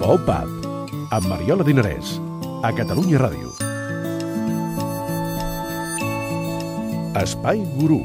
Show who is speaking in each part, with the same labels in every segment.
Speaker 1: Pop-Up, amb Mariola Dinarès, a Catalunya Ràdio. Espai Gurú.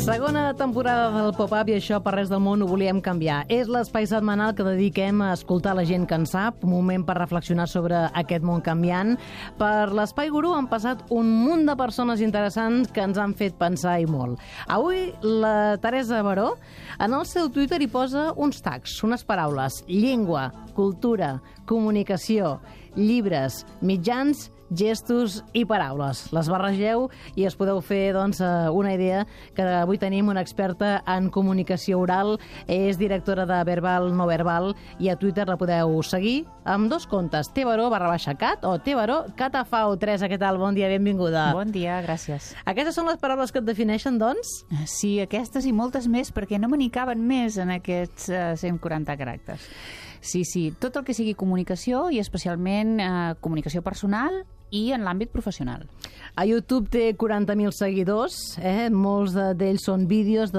Speaker 2: Segona temporada del Pop-Up i això per res del món ho volíem canviar. És l'espai setmanal que dediquem a escoltar la gent que en sap, un moment per reflexionar sobre aquest món canviant. Per l'Espai Gurú han passat un munt de persones interessants que ens han fet pensar i molt. Avui la Teresa Baró en el seu Twitter hi posa uns tags, unes paraules: llengua, cultura, comunicació, llibres, mitjans, gestos i paraules. Les barregeu i es podeu fer una idea que avui tenim una experta en comunicació oral, és directora de Verbal No Verbal i a Twitter la podeu seguir amb dos comptes, tbaró_cat o tbaró_catafau. Teresa, què tal? Bon dia, benvinguda.
Speaker 3: Bon dia, gràcies.
Speaker 2: Aquestes són les paraules que et defineixen, doncs?
Speaker 3: Sí, aquestes i moltes més, perquè no me n'hi caben més en aquests 140 caràcters. Sí, tot el que sigui comunicació i especialment comunicació personal i en l'àmbit professional.
Speaker 2: A YouTube té 40.000 seguidors, molts d'ells són vídeos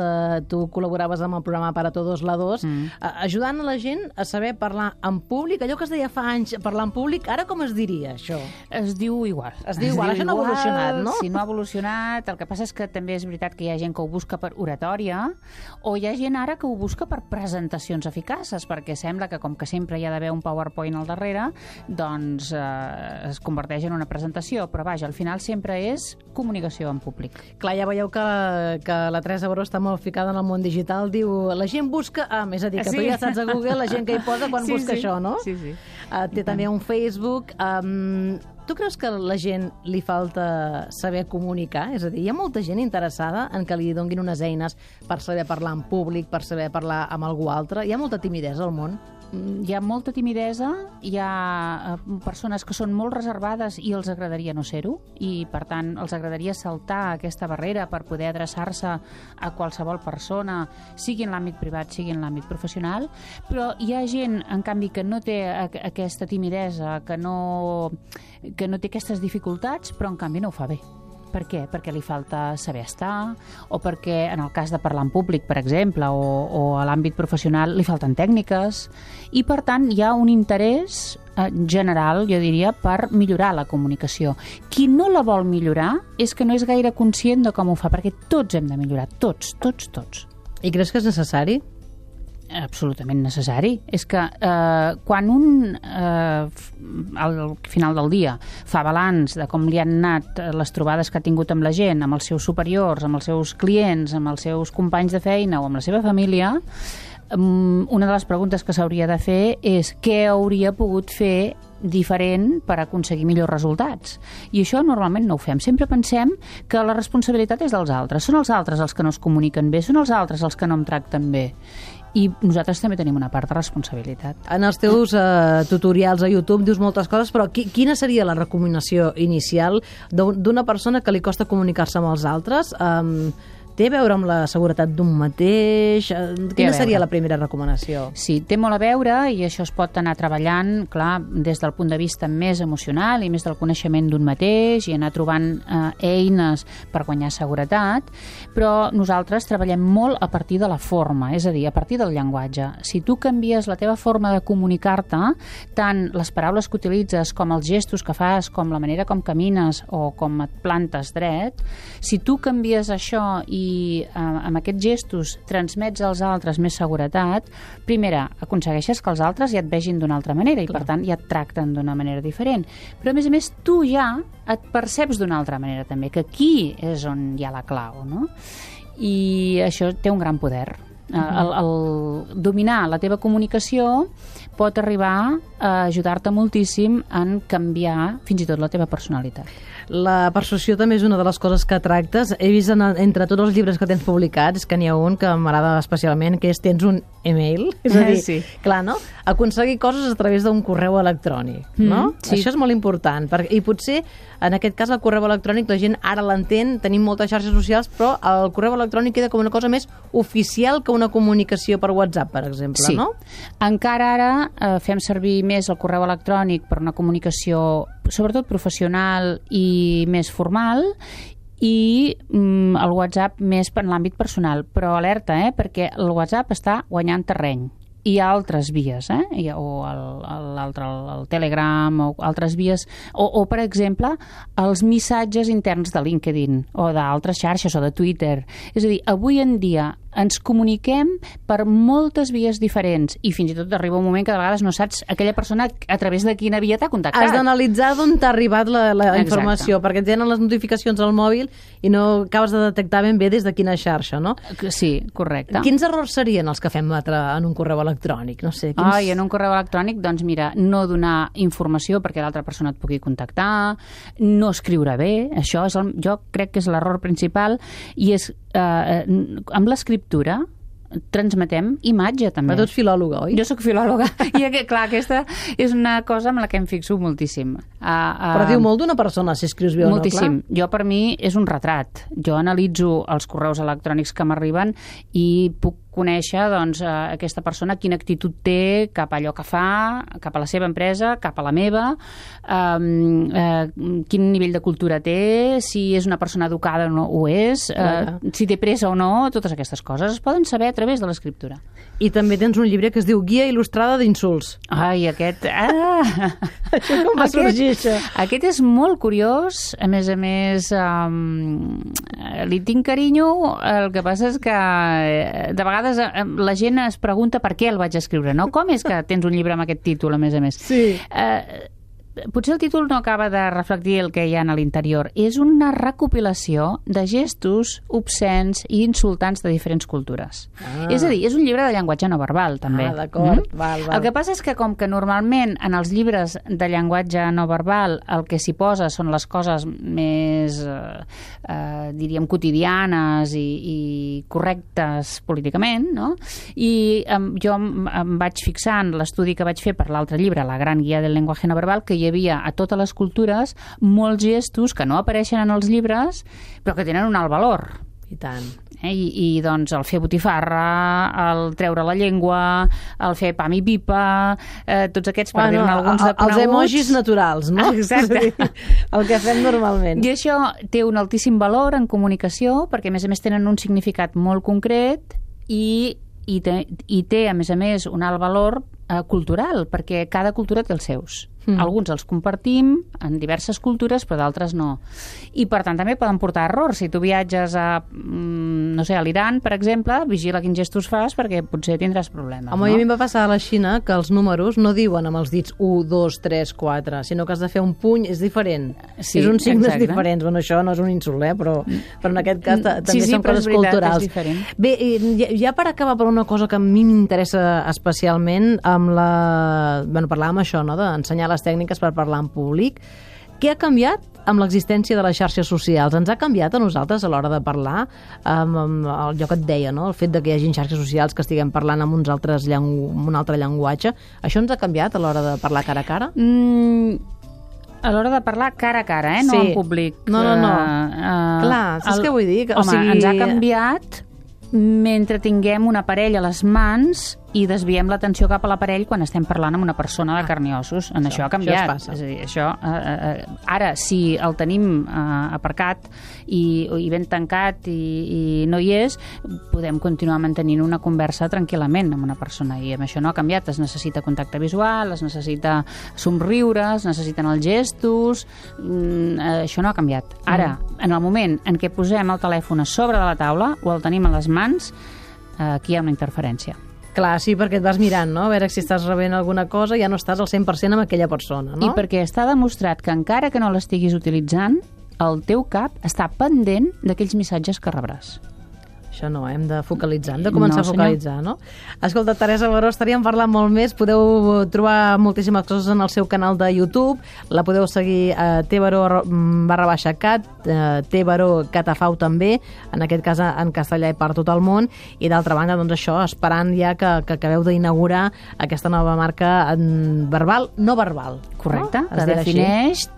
Speaker 2: tu col·laboraves amb el programa Para Todos la 2, ajudant a la gent a saber parlar en públic. Allò que es deia fa anys, parlar en públic, ara com es diria, això?
Speaker 3: Es diu igual.
Speaker 2: Això no ha evolucionat, no?
Speaker 3: Sí, no ha evolucionat. El que passa és que també és veritat que hi ha gent que ho busca per oratòria o hi ha gent ara que ho busca per presentacions eficaces, perquè sembla que com que sempre hi ha d'haver un PowerPoint al darrere, doncs es converteix en una presentació, però vaja, al final sempre és comunicació en públic.
Speaker 2: Clar, ja veieu que la Teresa Baró està molt ficada en el món digital, diu, la gent busca... és a dir, que tu ja saps a Google la gent que hi posa quan busca això, no?
Speaker 3: Sí.
Speaker 2: Té també un Facebook. Tu creus que a la gent li falta saber comunicar? És a dir, hi ha molta gent interessada en que li donguin unes eines per saber parlar en públic, per saber parlar amb algú altre. Hi ha molta timidesa al món?
Speaker 3: Hi ha molta timidesa, hi ha persones que són molt reservades i els agradaria no ser-ho, i per tant els agradaria saltar aquesta barrera per poder adreçar-se a qualsevol persona, sigui en l'àmbit privat, sigui en l'àmbit professional, però hi ha gent, en canvi, que no té aquesta timidesa, que no té aquestes dificultats, però en canvi no ho fa bé. Per què? Perquè li falta saber estar, o perquè en el cas de parlar en públic, per exemple, o a l'àmbit professional, li falten tècniques, i per tant hi ha un interès general, jo diria, per millorar la comunicació. Qui no la vol millorar és que no és gaire conscient de com ho fa, perquè tots hem de millorar, tots.
Speaker 2: I creus que és necessari?
Speaker 3: Absolutament necessari. És que quan al final del dia fa balanç de com li han anat les trobades que ha tingut amb la gent, amb els seus superiors, amb els seus clients, amb els seus companys de feina o amb la seva família, una de les preguntes que s'hauria de fer és què hauria pogut fer diferent per aconseguir millors resultats. I això normalment no ho fem. Sempre pensem que la responsabilitat és dels altres. Són els altres els que no es comuniquen bé, són els altres els que no em tracten bé. I nosaltres també tenim una part de responsabilitat.
Speaker 2: En els teus tutorials a YouTube dius moltes coses, però quina seria la recomanació inicial d'una persona que li costa comunicar-se amb els altres? Té a veure amb la seguretat d'un mateix? Quina seria la primera recomanació?
Speaker 3: Sí, té molt a veure i això es pot anar treballant, clar, des del punt de vista més emocional i més del coneixement d'un mateix i anar trobant eines per guanyar seguretat, però nosaltres treballem molt a partir de la forma, és a dir, a partir del llenguatge. Si tu canvies la teva forma de comunicar-te, tant les paraules que utilitzes com els gestos que fas, com la manera com camines o com et plantes dret, si tu canvies això i amb aquests gestos transmets als altres més seguretat, primera, aconsegueixes que els altres ja et vegin d'una altra manera i per tant ja et tracten d'una manera diferent. Però a més tu ja et perceps d'una altra manera també, que aquí és on hi ha la clau, no? I això té un gran poder. El dominar la teva comunicació pot arribar a ajudar-te moltíssim en canviar fins i tot la teva personalitat.
Speaker 2: La persuasió també és una de les coses que tractes. He vist entre tots els llibres que tens publicats que n'hi ha un que m'agrada especialment, que és tens un email, és a dir, clar, no? Aconseguir coses a través d'un correu electrònic, no?
Speaker 3: Sí.
Speaker 2: Això és molt important, i potser en aquest cas el correu electrònic la gent ara l'entén, tenim moltes xarxes socials, però el correu electrònic queda com una cosa més oficial que una comunicació per WhatsApp, per exemple, no?
Speaker 3: Encara ara fem servir més el correu electrònic per una comunicació sobretot professional i més formal, i el WhatsApp més en l'àmbit personal. Però alerta, perquè el WhatsApp està guanyant terreny. Hi ha altres vies, o l'altre, el Telegram, o altres vies, o per exemple, els missatges interns de LinkedIn, o d'altres xarxes, o de Twitter. És a dir, avui en dia ens comuniquem per moltes vies diferents i fins i tot arriba un moment que de vegades no saps aquella persona a través de quina via t'ha contactat.
Speaker 2: Has d'analitzar d'on t'ha arribat la informació, perquè tenen les notificacions al mòbil i no acabes de detectar ben bé des de quina xarxa, no?
Speaker 3: Sí, correcte.
Speaker 2: Quins errors serien els que fem en un correu electrònic? No sé,
Speaker 3: en un correu electrònic, doncs mira, no donar informació perquè l'altra persona et pugui contactar, no escriure bé, això és jo crec que és l'error principal, i és amb l'escriptura transmetem imatge, també.
Speaker 2: Però tu ets filòloga, oi?
Speaker 3: Jo sóc filòloga, i clar, aquesta és una cosa amb la que em fixo moltíssim.
Speaker 2: Però diu molt d'una persona, si escrius bé o no, clar.
Speaker 3: Moltíssim. Jo, per mi, és un retrat. Jo analitzo els correus electrònics que m'arriben i puc conèixer, doncs, aquesta persona quina actitud té cap a allò que fa, cap a la seva empresa, cap a la meva, quin nivell de cultura té, si és una persona educada o no ho és, si té pressa o no, totes aquestes coses es poden saber a través de l'escriptura.
Speaker 2: I també tens un llibre que es diu Guia il·lustrada d'insults.
Speaker 3: Ai, aquest...
Speaker 2: Això com va sorgir, això?
Speaker 3: Aquest és molt curiós, a més, li tinc carinyo, el que passa és que de vegades la gent es pregunta per què el vaig escriure, no? Com és que tens un llibre amb aquest títol, a més?
Speaker 2: Sí.
Speaker 3: Potser el títol no acaba de reflectir el que hi ha a l'interior. És una recopilació de gestos obscens i insultants de diferents cultures. És a dir, és un llibre de llenguatge no verbal, també.
Speaker 2: D'acord. Val.
Speaker 3: El que passa és que com que normalment en els llibres de llenguatge no verbal el que s'hi posa són les coses més, diríem, quotidianes i correctes políticament, no? I jo em vaig fixar en l'estudi que vaig fer per l'altre llibre, La gran guia del lenguaje no verbal, que hi havia a totes les cultures molts gestos que no apareixen en els llibres però que tenen un alt valor.
Speaker 2: I tant.
Speaker 3: I doncs el fer botifarra, el treure la llengua, el fer pam i pipa, tots aquests, per dir-ne alguns de coneguts.
Speaker 2: Els emojis naturals, no?
Speaker 3: Exacte.
Speaker 2: El que fem normalment.
Speaker 3: I això té un altíssim valor en comunicació perquè a més tenen un significat molt concret i té, a més, un alt valor cultural, perquè cada cultura té els seus. Alguns els compartim en diverses cultures, però d'altres no. I, per tant, també poden portar errors. Si tu viatges a l'Iran, per exemple, vigila quins gestos fas perquè potser tindràs problemes.
Speaker 2: Home,
Speaker 3: no?
Speaker 2: a mi em va passar a la Xina que els números no diuen amb els dits 1, 2, 3, 4, sinó que has de fer un puny, és diferent.
Speaker 3: Sí,
Speaker 2: és uns signes
Speaker 3: exacte.
Speaker 2: Diferents. Bueno, això no és un insult, però en aquest cas també són coses
Speaker 3: culturals.
Speaker 2: Bé, ja per acabar per una cosa que a mi m'interessa especialment, parlàvem això, no?, d'ensenyar les tècniques per parlar en públic. Què ha canviat amb l'existència de les xarxes socials? Ens ha canviat a nosaltres a l'hora de parlar? Allò que et deia, no?, el fet de que hi hagi xarxes socials que estiguem parlant amb un altre llenguatge. Això ens ha canviat a l'hora de parlar cara a cara?
Speaker 3: A l'hora de parlar cara a cara, no en públic.
Speaker 2: No. Clar, saps què vull dir?
Speaker 3: Ens ha canviat mentre tinguem un aparell a les mans i desviem l'atenció cap a l'aparell quan estem parlant amb una persona de carn i ossos. Això ha canviat.
Speaker 2: Això
Speaker 3: és a dir, ara, si el tenim aparcat i ben tancat i no hi és, podem continuar mantenint una conversa tranquil·lament amb una persona, i amb això no ha canviat. Es necessita contacte visual, es necessita somriure, es necessiten els gestos, això no ha canviat. Ara, en el moment en què posem el telèfon a sobre de la taula o el tenim a les mans, aquí hi ha una interferència.
Speaker 2: Clar, sí, perquè et vas mirant, no?, a veure si estàs rebent alguna cosa, ja no estàs al 100% amb aquella persona, no?
Speaker 3: I perquè està demostrat que encara que no l'estiguis utilitzant, el teu cap està pendent d'aquells missatges que rebràs.
Speaker 2: Això no, hem de focalitzar, hem de començar a focalitzar, no? Escolta, Teresa Baró, estaríem parlant molt més. Podeu trobar moltíssimes coses en el seu canal de YouTube. La podeu seguir a tbaró_cat, tbaró_catafau també, en aquest cas en castellà i per tot el món. I d'altra banda, doncs això, esperant ja que acabeu d'inaugurar aquesta nova marca verbal, no verbal.
Speaker 3: Correcte, que defineix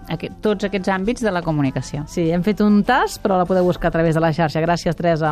Speaker 3: tots aquests àmbits de la comunicació.
Speaker 2: Sí, hem fet un tast, però la podeu buscar a través de la xarxa. Gràcies, Teresa.